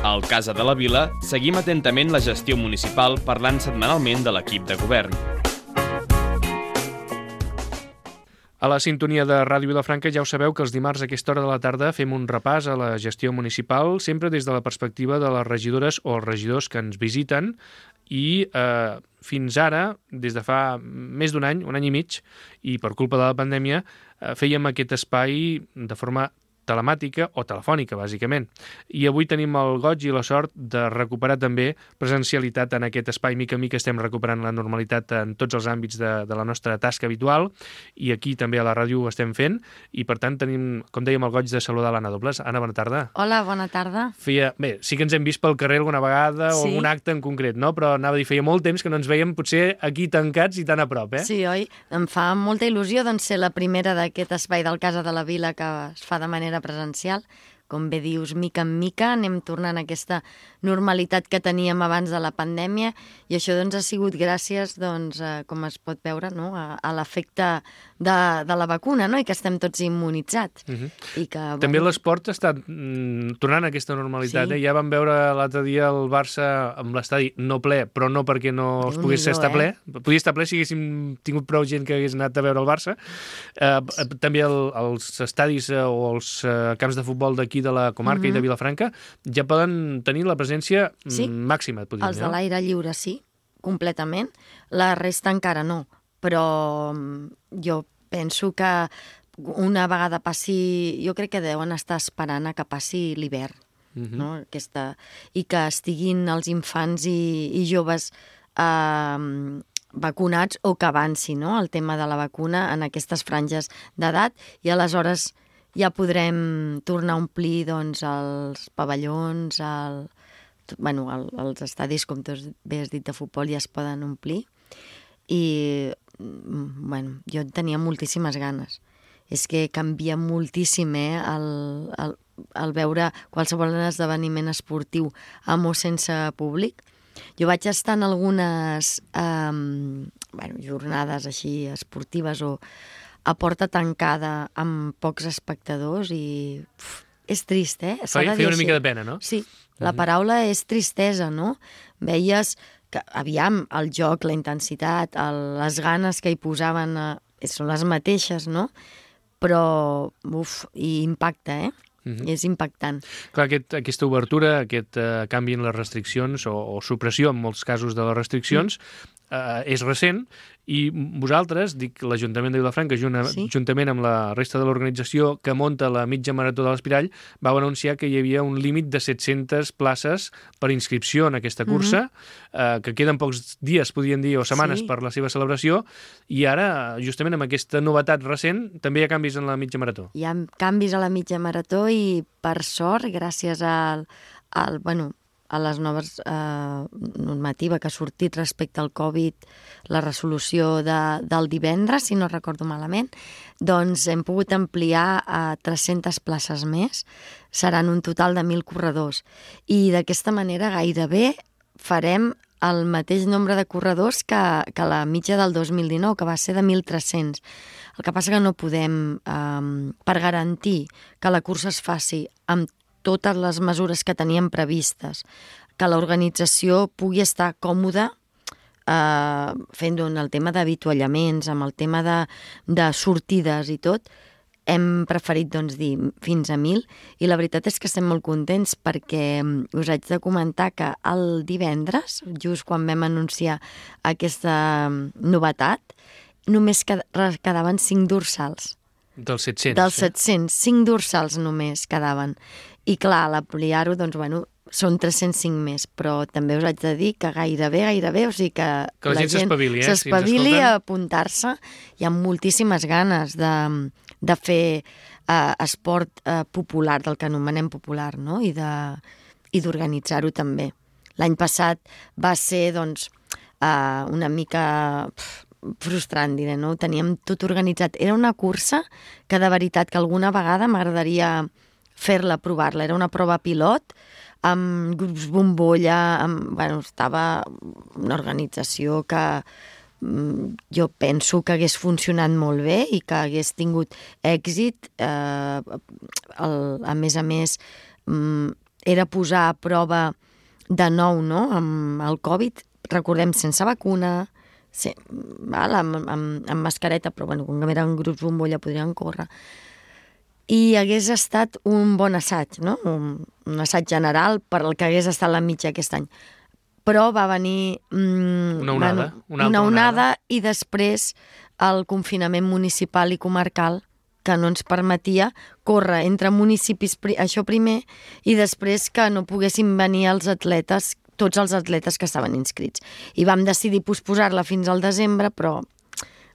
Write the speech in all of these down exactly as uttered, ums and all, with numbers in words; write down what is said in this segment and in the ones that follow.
Al Casa de la Vila seguim atentament la gestió municipal parlant setmanalment de l'equip de govern. A la sintonia de Ràdio Vilafranca ja ho sabeu que els dimarts a aquesta hora de la tarda fem un repàs a la gestió municipal, sempre des de la perspectiva de les regidores o els regidors que ens visiten i eh, fins ara, des de fa més d'un any, un any i mig, i per culpa de la pandèmia, eh, fèiem aquest espai de forma telemàtica o telefònica, bàsicament. I avui tenim el goig i la sort de recuperar també presencialitat en aquest espai. Mica en mica estem recuperant la normalitat en tots els àmbits de, de la nostra tasca habitual i aquí també a la ràdio ho estem fent i per tant tenim, com dèiem, el goig de saludar l'Anna Dobles. Anna, bona tarda. Hola, bona tarda. Feia, bé, sí que ens hem vist pel carrer alguna vegada o sí. algun acte en concret, no? Però anava a dir, feia molt temps que no ens veiem potser aquí tancats i tan a prop, eh? Sí, oi? Em fa molta il·lusió doncs, ser la primera d'aquest espai del Casa de la Vila que es fa de manera presencial. Com bé dius, mica en mica anem tornant a aquesta normalitat que teníem abans de la pandèmia i això doncs, ha sigut gràcies, doncs, a, com es pot veure, no? a, a l'efecte de, de la vacuna, no? I que estem tots immunitzats. Uh-huh. I que, també bueno... l'esport està mm, tornant a aquesta normalitat. Sí. Eh? Ja vam veure l'altre dia el Barça amb l'estadi no ple, però no perquè no es pogués estar eh? ple. Podia estar ple si haguéssim tingut prou gent que hagués anat a veure el Barça. Eh, també el, els estadis eh, o els eh, camps de futbol d'aquí de la comarca uh-huh. i de Vilafranca ja poden tenir la presència sí. màxima. Podríem, els de no? l'aire lliure sí, completament. La resta encara no, però jo penso que una vegada passi, jo crec que deuen estar esperant a que passi l'hivern, uh-huh. no? Aquesta, i que estiguin els infants i, i joves eh, vacunats o que avanci, no? El tema de la vacuna en aquestes franges d'edat i aleshores ja podrem tornar a omplir doncs, els pavellons, el, bueno, el, els estadis, com tu bé has dit, de futbol ja es poden omplir. I bueno, jo tenia moltíssimes ganes. És que canvia moltíssim eh, el, el, el veure qualsevol esdeveniment esportiu amb o sense públic. Jo vaig estar en algunes eh, bueno, jornades així esportives o a porta tancada amb pocs espectadors i uf, és trist, eh? Feia, feia una mica de pena, no? Sí, la paraula és tristesa, no? Veies que, aviam, el joc, la intensitat, el, les ganes que hi posaven eh, són les mateixes, no? Però, uf, i impacta, eh? Uh-huh. És impactant. Clar, aquest, aquesta obertura, aquest uh, canvi en les restriccions o, o supressió en molts casos de les restriccions uh-huh. uh, és recent i vosaltres, dic l'Ajuntament de Vilafranca, junt, sí. juntament amb la resta de l'organització que munta la mitja marató de l'Espirall, vau anunciar que hi havia un límit de set-centes places per inscripció en aquesta cursa, uh-huh. uh, que queden pocs dies, podríem dir, o setmanes sí. per la seva celebració, i ara, justament amb aquesta novetat recent, també hi ha canvis en la mitja marató. Hi ha canvis a la mitja marató i, per sort, gràcies al, al bueno, a les noves eh, normativa que ha sortit respecte al Covid, la resolució de, del divendres, si no recordo malament, doncs hem pogut ampliar a tres-centes places més. Seran un total de mil corredors. I d'aquesta manera gairebé farem el mateix nombre de corredors que, que la mitja del dos mil dinou, que va ser de mil tres-cents. El que passa que no podem, eh, per garantir que la cursa es faci amb totes les mesures que teníem previstes, que l'organització pugui estar còmoda eh, fent el tema d'avituallaments, amb el tema de, de sortides i tot, hem preferit doncs, dir fins a mil i la veritat és que estem molt contents perquè us haig de comentar que el divendres, just quan vam anunciar aquesta novetat, només quedaven cinc dorsals. Dels set-cents. Dels set-cents, cinc dorsals només quedaven. I clar, a l'ampliar-ho, doncs, bueno, són tres-cents cinc més, però també us haig de dir que gairebé, gairebé, o sigui que, que la, la gent s'espavili, eh? s'espavili si a apuntar-se. Hi ha moltíssimes ganes de, de fer eh, esport eh, popular, del que anomenem popular, no? I de, i d'organitzar-ho també. L'any passat va ser, doncs, eh, una mica pf, frustrant, diré, no? Ho teníem tot organitzat. Era una cursa que, de veritat, que alguna vegada m'agradaria fer-la, provar-la. Era una prova pilot, amb grups bombolla, amb, bueno, estava una organització que mm, jo penso que hagués funcionat molt bé i que hagués tingut èxit. Eh, el, a més a més, mm, era posar a prova de nou, no?, amb el Covid, recordem, sense vacuna, sí, val, amb, amb, amb mascareta, però bueno, com que eren grups bombolla podrien córrer. I hagués estat un bon assaig, no? Un, un assaig general per al que hagués estat la mitja aquest any. Però va venir mm, una onada, bueno, una, una onada, onada i després el confinament municipal i comarcal que no ens permetia córrer entre municipis, això primer, i després que no poguessin venir els atletes, tots els atletes que estaven inscrits. I vam decidir posposar-la fins al desembre, però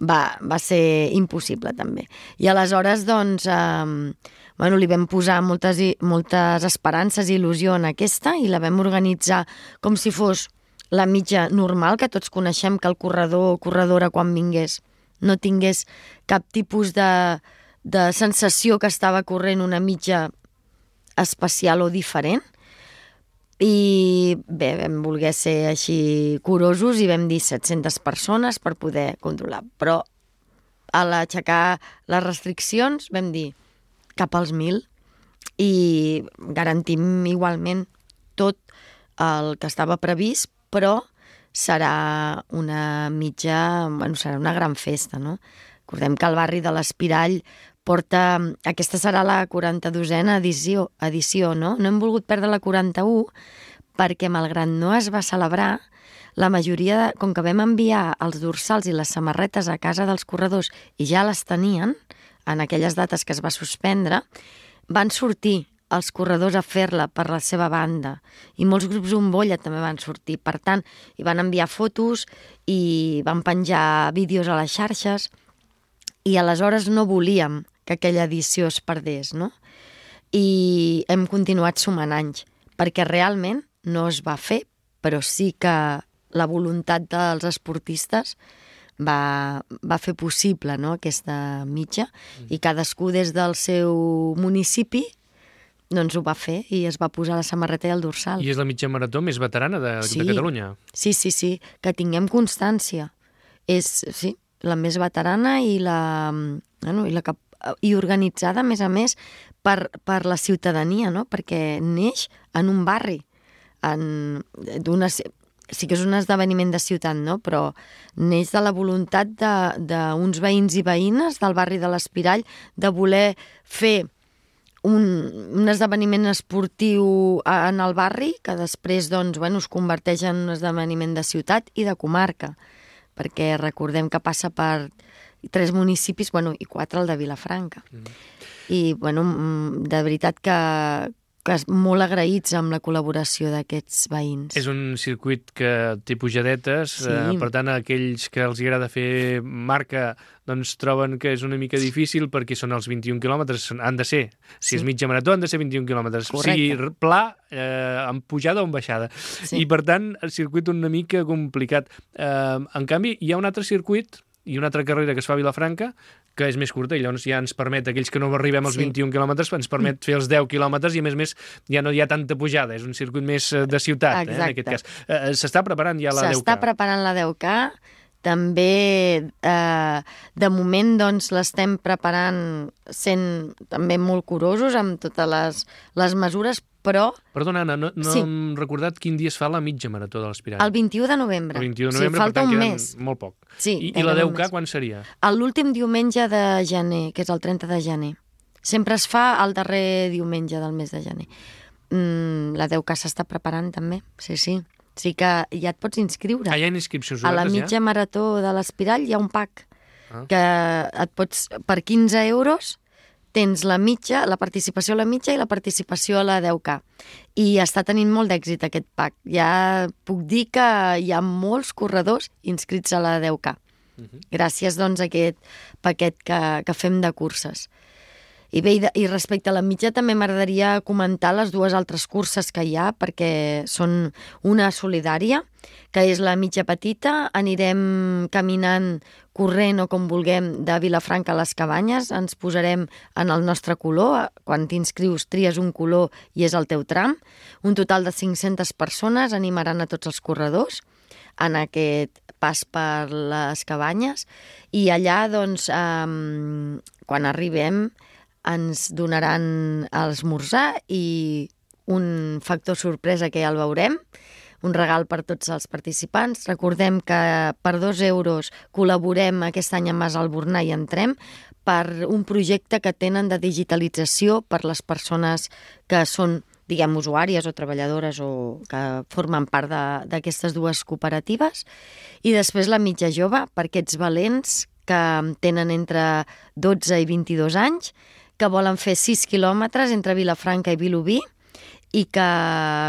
va, va ser impossible també. I aleshores, doncs, eh, bueno, li vam posar moltes, moltes esperances i il·lusió en aquesta i la vam organitzar com si fos la mitja normal, que tots coneixem, que el corredor o corredora quan vingués no tingués cap tipus de, de sensació que estava corrent una mitja especial o diferent. I bé, vam voler ser així curosos i vam dir set-centes persones per poder controlar. Però a l'aixecar les restriccions vam dir cap als mil i garantim igualment tot el que estava previst, però serà una mitja, bueno, serà una gran festa, no? Recordem que el barri de l'Espirall porta... Aquesta serà la quaranta-dosena edició, edició, no? No hem volgut perdre la quaranta-u perquè, malgrat no es va celebrar, la majoria, de, com que vam enviar els dorsals i les samarretes a casa dels corredors i ja les tenien, en aquelles dates que es va suspendre, van sortir els corredors a fer-la per la seva banda i molts grups bombolla també van sortir. Per tant, hi van enviar fotos i van penjar vídeos a les xarxes i aleshores no volíem que aquella edició es perdés, no? I hem continuat sumant anys, perquè realment no es va fer, però sí que la voluntat dels esportistes va, va fer possible, no?, aquesta mitja, mm. i cadascú des del seu municipi doncs ho va fer i es va posar la samarreta i el dorsal. I és la mitja marató més veterana de, sí. de Catalunya. Sí, sí, sí, que tinguem constància. És, sí, la més veterana i la, bueno, i la que i organitzada, a més a més, per, per la ciutadania, no? Perquè neix en un barri, en, d'una, sí que és un esdeveniment de ciutat, no? Però neix de la voluntat d'uns veïns i veïnes del barri de l'Espirall de voler fer un, un esdeveniment esportiu en el barri que després doncs, bueno, es converteix en un esdeveniment de ciutat i de comarca, perquè recordem que passa per tres municipis, bueno, i quatre el de Vilafranca. Mm. I, bueno, de veritat que, que és molt agraïts amb la col·laboració d'aquests veïns. És un circuit que té pujadetes, sí. eh, per tant, aquells que els agrada fer marca doncs troben que és una mica difícil perquè són els vint i un quilòmetres, han de ser. Si sí. és mitja marató, han de ser vint i un quilòmetres. Correcte. Sigui pla, eh, amb pujada o amb baixada. Sí. I, per tant, el circuit una mica complicat. Eh, en canvi, hi ha un altre circuit i una altra carrera que es fa a Vilafranca, que és més curta, i llavors ja ens permet, aquells que no arribem als sí. vint i un quilòmetres, ens permet fer els deu quilòmetres, i a més a més ja no hi ha tanta pujada, és un circuit més de ciutat, eh, en aquest cas. Eh, S'està preparant ja la deu K? S'està preparant la deu K, també eh, de moment doncs l'estem preparant sent també molt curosos amb totes les, les mesures, però... Perdona, Anna, no, no sí. hem recordat quin dia es fa la mitja marató de l'Espirall. El vint-i-u de novembre. El vint-i-u de novembre, sí, falta per tant, un queden mes. Molt poc. Sí, I, I la deu K quan seria? L'últim diumenge de gener, que és el trenta de gener. Sempre es fa el darrer diumenge del mes de gener. Mm, la deu K s'està preparant també, sí, sí. Sí que ja et pots inscriure. Ah, hi ha inscripcions obertes, ja? A la mitja ja? marató de l'Espirall hi ha un pack ah. que et pots, per quinze euros, tens la mitja, la participació a la mitja i la participació a la deu K. I està tenint molt d'èxit aquest pack. Ja puc dir que hi ha molts corredors inscrits a la deu K. Uh-huh. Gràcies, doncs, a aquest paquet que, que fem de curses. I bé, i respecte a la mitja també m'agradaria comentar les dues altres curses que hi ha, perquè són una solidària, que és la mitja petita. Anirem caminant, corrent o com vulguem, de Vilafranca a les Cabanyes. Ens posarem en el nostre color. Quan t'inscrius tries un color i és el teu tram. Un total de cinc-centes persones animaran a tots els corredors en aquest pas per les Cabanyes. I allà, doncs, eh, quan arribem, ens donaran a esmorzar i un factor sorpresa que ja el veurem, un regal per tots els participants. Recordem que per dos euros col·laborem aquest any amb Mas Albornà i Entrem per un projecte que tenen de digitalització per les persones que són, diguem, usuàries o treballadores o que formen part d'aquestes dues cooperatives. I després la mitja jove, per aquests valents que tenen entre dotze i vint-i-dos anys, que volen fer sis quilòmetres entre Vilafranca i Vilobí i que,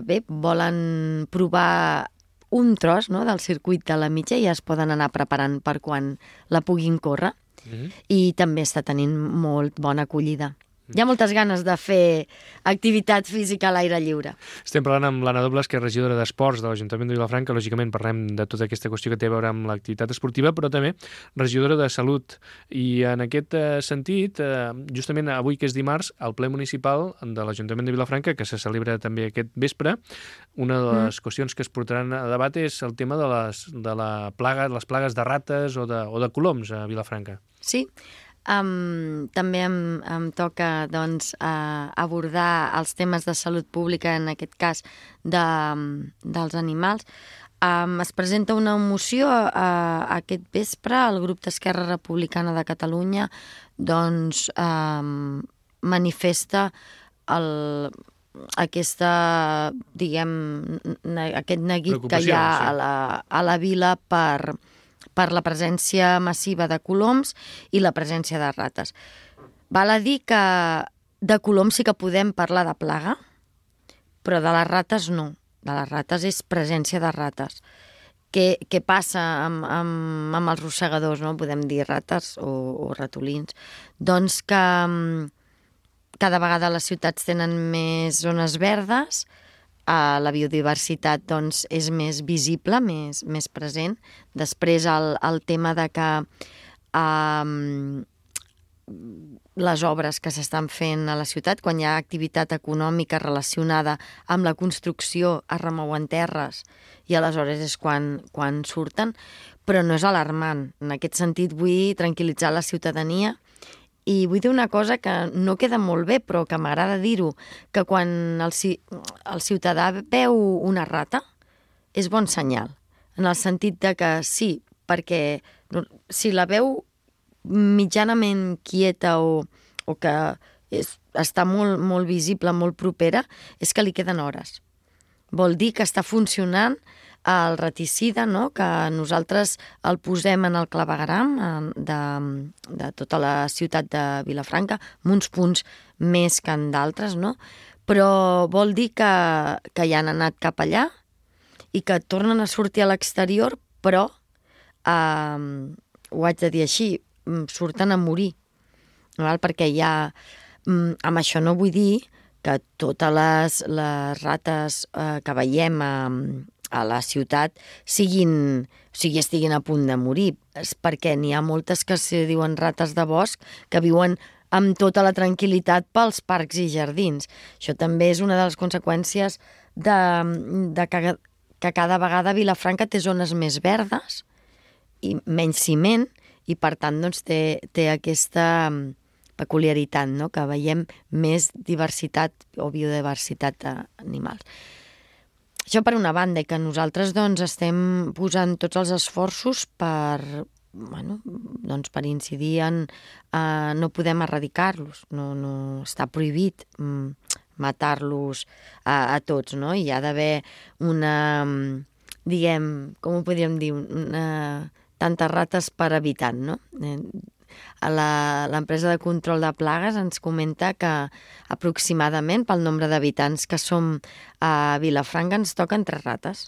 bé, volen provar un tros, no?, del circuit de la mitja i ja es poden anar preparant per quan la puguin córrer. Mm-hmm. I també està tenint molt bona acollida. Hi ha moltes ganes de fer activitat física a l'aire lliure. Estem parlant amb l'Anna Dobles, que és regidora d'Esports de l'Ajuntament de Vilafranca. Lògicament parlem de tota aquesta qüestió que té a veure amb l'activitat esportiva, però també regidora de Salut. I en aquest sentit, justament avui, que és dimarts, al ple municipal de l'Ajuntament de Vilafranca, que se celebra també aquest vespre, una de les mm. qüestions que es portaran a debat és el tema de les, de la plaga, les plagues de rates o de, o de coloms a Vilafranca. Sí. Um, també em, em toca doncs, uh, abordar els temes de salut pública, en aquest cas de, dels animals. Um, es presenta una moció uh, aquest vespre. El grup d'Esquerra Republicana de Catalunya doncs, um, manifesta el, aquesta, diguem, ne, aquest neguit que hi ha sí. a, la, a la vila per... per la presència massiva de coloms i la presència de rates. Val a dir que de coloms sí que podem parlar de plaga, però de les rates no. De les rates és presència de rates. Què, què passa amb, amb, amb els rossegadors, no? Podem dir rates o, o ratolins. Doncs que cada vegada les ciutats tenen més zones verdes, Uh, la biodiversitat doncs, és més visible, més, més present. Després el, el tema de que uh, les obres que s'estan fent a la ciutat, quan hi ha activitat econòmica relacionada amb la construcció, es remouen terres i aleshores és quan, quan surten, però no és alarmant. En aquest sentit vull tranquil·litzar la ciutadania. I vull dir una cosa que no queda molt bé, però que m'agrada dir-ho, que quan el, el ciutadà veu una rata, és bon senyal. En el sentit de que sí, perquè si la veu mitjanament quieta o, o que és, està molt, molt visible, molt propera, és que li queden hores. Vol dir que està funcionant el raticida, no?, que nosaltres el posem en el clavegueram de, de tota la ciutat de Vilafranca, amb uns punts més que en d'altres, no? Però vol dir que, que ja han anat cap allà i que tornen a sortir a l'exterior, però, eh, ho haig de dir així, surten a morir, val? Perquè ja, amb això no vull dir que totes les, les rates eh, que veiem a, a la ciutat siguin, o sigui, estiguin a punt de morir, és perquè n'hi ha moltes que se diuen rates de bosc que viuen amb tota la tranquil·litat pels parcs i jardins. Això també és una de les conseqüències de, de que, que cada vegada Vilafranca té zones més verdes i menys ciment i per tant doncs, té, té aquesta peculiaritat, no?, que veiem més diversitat o biodiversitat d'animals. Això per una banda, que nosaltres doncs, estem posant tots els esforços per, bueno, doncs, per incidir en... Uh, no podem erradicar-los, no, no està prohibit um, matar-los a, a tots, no? Hi ha d'haver una, diguem, com ho podríem dir, una, tantes rates per habitant, no? L'empresa de control de plagues ens comenta que aproximadament pel nombre d'habitants que som a Vilafranca ens toquen tres rates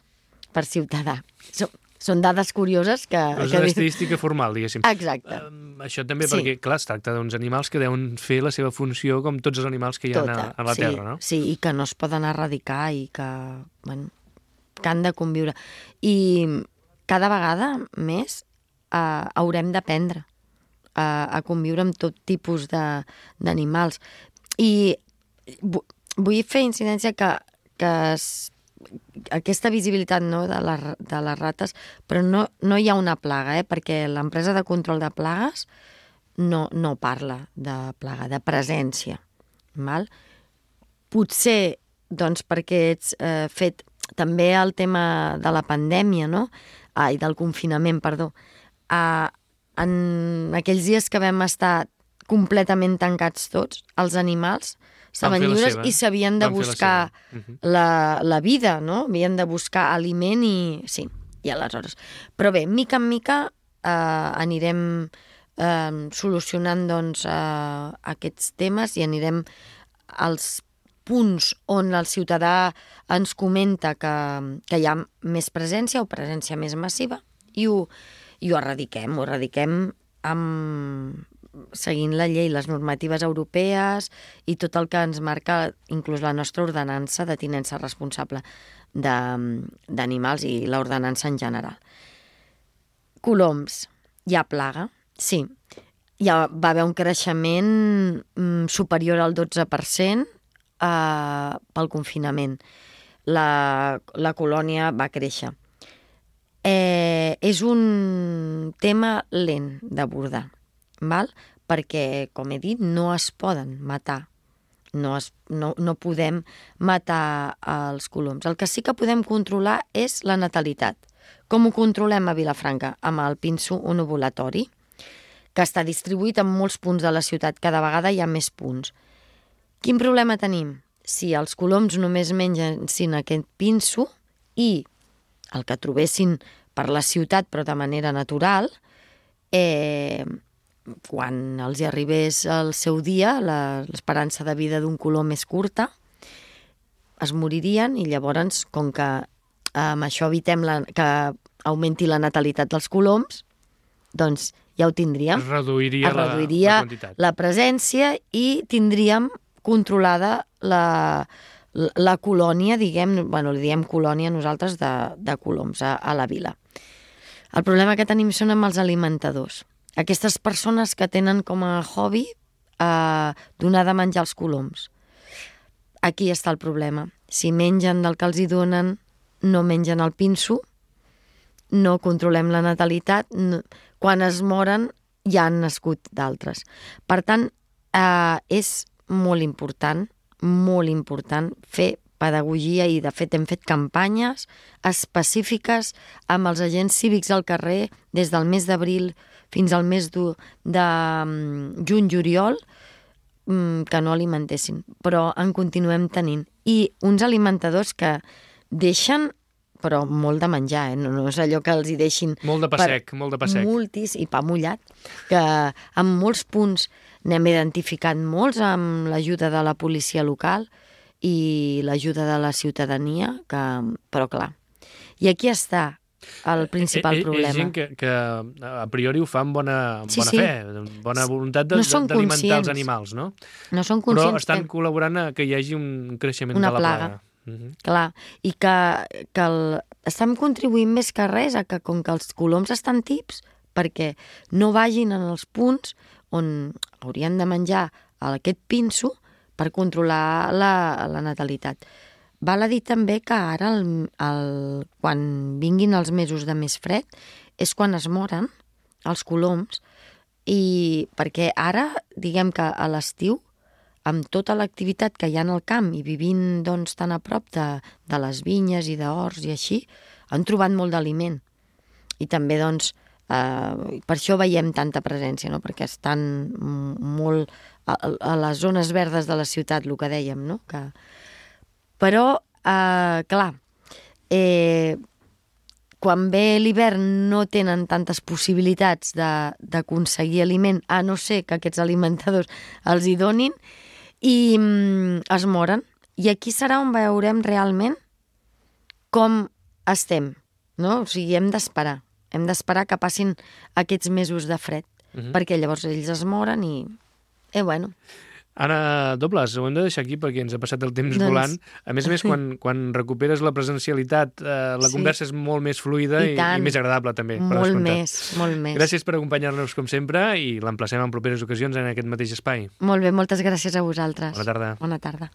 per ciutadà. Són, són dades curioses que... Però és una estadística formal, diguéssim. Exacte. Uh, això també sí. perquè, clar, es tracta d'uns animals que deuen fer la seva funció com tots els animals que hi ha Tota, a, a la sí, Terra, no? Sí, i que no es poden erradicar i que, bueno, que han de conviure. I cada vegada més uh, haurem d'aprendre A, a conviure amb tot tipus d'animals. I vull fer incidència que, que es, aquesta visibilitat, no, de, la, de les rates, però no, no hi ha una plaga, eh, perquè l'empresa de control de plagues no, no parla de plaga, de presència. Val? Potser doncs perquè ets eh, fet també el tema de la pandèmia, no? Ai, del confinament, perdó. Uh, en aquells dies que vam estar completament tancats tots, els animals estaven lliures i s'havien de buscar la, uh -huh. la, la vida, no? Havien de buscar aliment i... Sí, i aleshores... Però bé, mica en mica eh, anirem eh, solucionant doncs, eh, aquests temes i anirem als punts on el ciutadà ens comenta que, que hi ha més presència o presència més massiva i ho, i ho erradiquem, ho erradiquem amb, seguint la llei, les normatives europees i tot el que ens marca inclús la nostra ordenança de tinença responsable d'animals i l'ordenança en general. Coloms, hi ha plaga? Sí. Hi ha, va haver un creixement mm, superior al dotze per cent eh, pel confinament. La, la colònia va créixer. Eh, és un tema lent d'abordar, val? Perquè, com he dit, no es poden matar. No, es, no, no podem matar els coloms. El que sí que podem controlar és la natalitat. Com ho controlem a Vilafranca? Amb el pinso onovulatori, que està distribuït en molts punts de la ciutat. Cada vegada hi ha més punts. Quin problema tenim? Si els coloms només mengessin aquest pinso i el que trobessin per la ciutat, però de manera natural, eh, quan els hi arribés el seu dia, l'esperança de vida d'un colom és curta, es moririen i llavors, com que amb això evitem la, que augmenti la natalitat dels coloms, doncs ja ho tindríem. Es reduiria, es reduiria la, la quantitat. La presència i tindríem controlada la, la, la colònia, diguem, bueno, li diem colònia nosaltres de, de coloms a, a la vila. El problema que tenim són amb els alimentadors. Aquestes persones que tenen com a hobby eh, donar de menjar als coloms. Aquí està el problema. Si mengen del que els hi donen, no mengen el pinso, no controlem la natalitat, no, quan es moren ja han nascut d'altres. Per tant, eh, és molt important, molt important fer pedagogia i, de fet, hem fet campanyes específiques amb els agents cívics al carrer des del mes d'abril fins al mes de, de juny-juliol, que no alimentessin, però en continuem tenint. I uns alimentadors que deixen, però molt de menjar, eh? no, no és allò que els hi deixin... Molt de pa sec, molt de pa sec. Multis i pa mullat, que en molts punts n'hem identificat molts amb l'ajuda de la policia local i l'ajuda de la ciutadania, que, però clar. I aquí està el principal eh, eh, problema. És gent que, que a priori ho fa amb bona, sí, bona sí. fe, bona voluntat no d'alimentar els animals, no? No són conscients. Però estan que... col·laborant a que hi hagi un creixement Una de la plaga. plaga. Uh-huh. Clar, i que, que el... estem contribuint més que res a que com que els coloms estan tips perquè no vagin en els punts on haurien de menjar aquest pinso per controlar la, la natalitat. Val a dir també que ara, el, el, quan vinguin els mesos de més fred, és quan es moren els coloms, i perquè ara, diguem que a l'estiu, amb tota l'activitat que hi ha en el camp i vivint doncs, tan a prop de, de les vinyes i d'horts i així, han trobat molt d'aliment. I també, doncs, eh, per això veiem tanta presència, no? Perquè estan molt a, a les zones verdes de la ciutat, el que dèiem, no? Que... Però, eh, clar, eh, quan ve l'hivern no tenen tantes possibilitats d'aconseguir aliment, a no ser que aquests alimentadors els hi donin, i mm, es moren. I aquí serà on veurem realment com estem, no? O sigui, hem d'esperar. Hem d'esperar que passin aquests mesos de fred, uh-huh. perquè llavors ells es moren i... Eh, bueno... Anna Dobles, ho hem de deixar aquí perquè ens ha passat el temps doncs... volant. A més a més, quan, quan recuperes la presencialitat, eh, la sí. conversa és molt més fluida i, i, i més agradable, també. Molt més, molt més. Gràcies per acompanyar-nos, com sempre, i l'emplacem en properes ocasions en aquest mateix espai. Molt bé, moltes gràcies a vosaltres. Bona tarda. Bona tarda.